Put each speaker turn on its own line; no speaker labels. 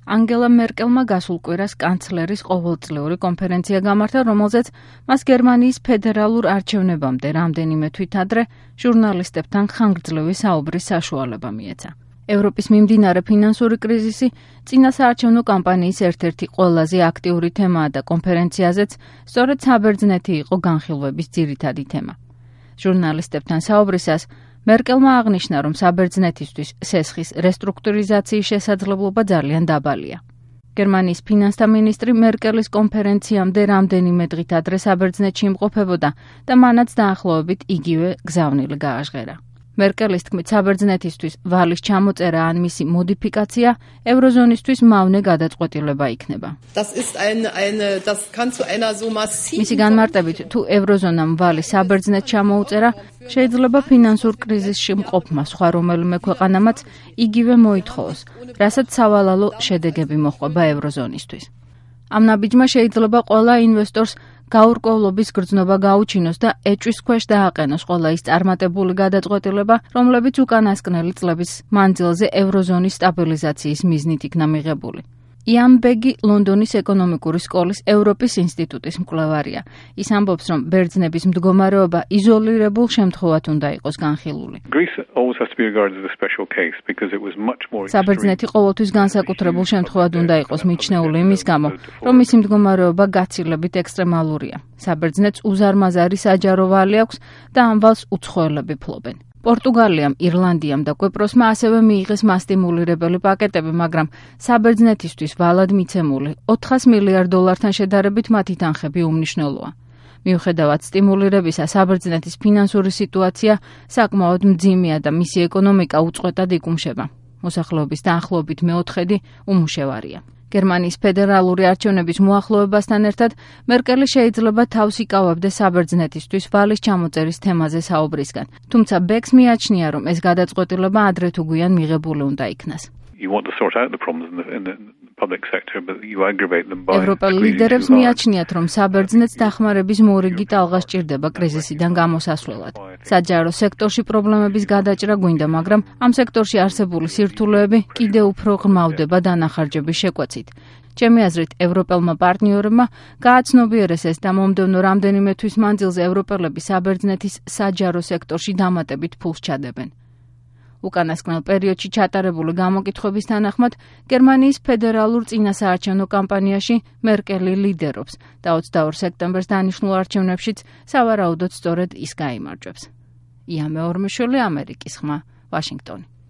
ანგელა მერკელმა გასულ კვირას კანცლერის ყოველწლიური კონფერენცია გამართა, რომელზეც მას გერმანიის ფედერალურ არჩევნებამდე რამდენიმე თვით ადრე ჟურნალისტებთან ხანგრძლივი საუბრის საშუალება მიეცა. ევროპის მიმდინარე ფინანსური კრიზისი წინა საარჩევნო კამპანიის ერთ-ერთი ყველაზე აქტიური თემაა და კონფერენციაზეც სწორედ საბერძნეთი იყო განხილვების ძირითადი თემა. ჟურნალისტებთან საუბრისას მერკელმა აღნიშნა, რომ საბერძნეთისთვის სესხის რესტრუქტურიზაციის შესაძლებლობა ძალიან დაბალია. გერმანიის ფინანსთა მინისტრი მერკელის კონფერენციამდე რამდენიმე დღით ადრე საბერძნეთში იმყოფებოდა და მანაც დაახლოებით იგივე გზავნილი გააჟღერა. მერკელის თქმით, საბერძნეთისთვის ვალის ჩამოწერა ან მისი მოდიფიკაცია ევროზონისთვის მავნე გადაწყვეტილება იქნება. მისი განმარტებით, თუ ევროზონამ ვალის საბერძნეთს ჩამოუწერა, შეიძლება ფინანსურ კრიზისში მყოფმა სხვა რომელიმე ქვეყანამაც იგივე მოითხოვოს, რასაც სავალალო შედეგები მოჰყვება ევროზონისთვის. ამ ნაბიჯმა შეიძლება ყველა ინვესტორს გაურკვევლობის გრძნობა გაუჩინოს და ეჭვის ქვეშ დააყენოს ყველა ის წარმატებული გადაწყვეტილება, რომლებიც უკანასკნელი წლების მანძილზე ევროზონის სტაბილიზაციის მიზნით იქნა მიღებული. იან ბეგი ლონდონის ეკონომიკური სკოლის ევროპის ინსტიტუტის მკვლევარია. ის ამბობს, რომ ბერძნების მდგომარეობა იზოლირებულ შემთხვევად უნდა იყოს განხილული. საბერძნეთი ყოველთვის განსაკუთრებულ შემთხვევად უნდა იყოს მიჩნეული იმის გამო, რომ მისი მდგომარეობა გაცილებით ექსტრემალურია. საბერძნეთს უზარმაზარი საჯარო ვალი აქვს და ამ ვალს უცხოელები ფლობენ. პორტუგალიამ, ირლანდიამ და კვიპროსმა ასევე მიიღეს მასტიმულირებელი პაკეტები, მაგრამ საბერძნეთისთვის ვალად მიცემული 400 მილიარდ დოლართან შედარებით მათი თანხები უმნიშვნელოა. მიუხედავად სტიმულირებისა, საბერძნეთის ფინანსური სიტუაცია საკმაოდ მძიმეა და მისი ეკონომიკა უწყვეტად იკუმშება. მოსახლეობის დაახლოებით მეოთხედი უმუშევარია. გერმანიის ფედერალური არჩევნების მოახლოებასთან ერთად მერკელი შეიძლება თავს იკავებდეს საბერძნეთისთვის ვალის ჩამოწერის თემაზე საუბრისგან. თუმცა ბეკს მიაჩნია, რომ ეს გადაწყვეტილება ადრე თუ გვიან მიღებული უნდა იქნას. ევროპელ ლიდერებს მიაჩნიათ, რომ საბერძნეთს დახმარების მორიგი ტალღა სჭირდება კრიზისიდან გამოსასვლელად. საჯარო სექტორში პრობლემების გადაჭრა გვინდა, მაგრამ ამ სექტორში არსებული სირთულეები კიდევ უფრო ღრმავდება დანახარჯების შეკვეცით. ჩემი აზრით, ევროპელმა პარტნიორებმა გააცნობიერეს ეს და მომდევნო რამდენიმე თვის მანძილზე ევროპელები საბერძნეთის საჯარო სექტორში დამატებით ფულს ჩადებენ. უკანასკნელ პერიოდში ჩატარებული გამოკითხვების თანახმად, გერმანიის ფედერალურ წინასაარჩევნო კამპანიაში მერკელი ლიდერობს და 22 სექტემბერს დანიშნულ არჩევნებშიც სავარაუდოდ სწორედ ის გაიმარჯვებს. ია მეორმიშვილი, ამერიკის ხმა, ვაშინგტონი.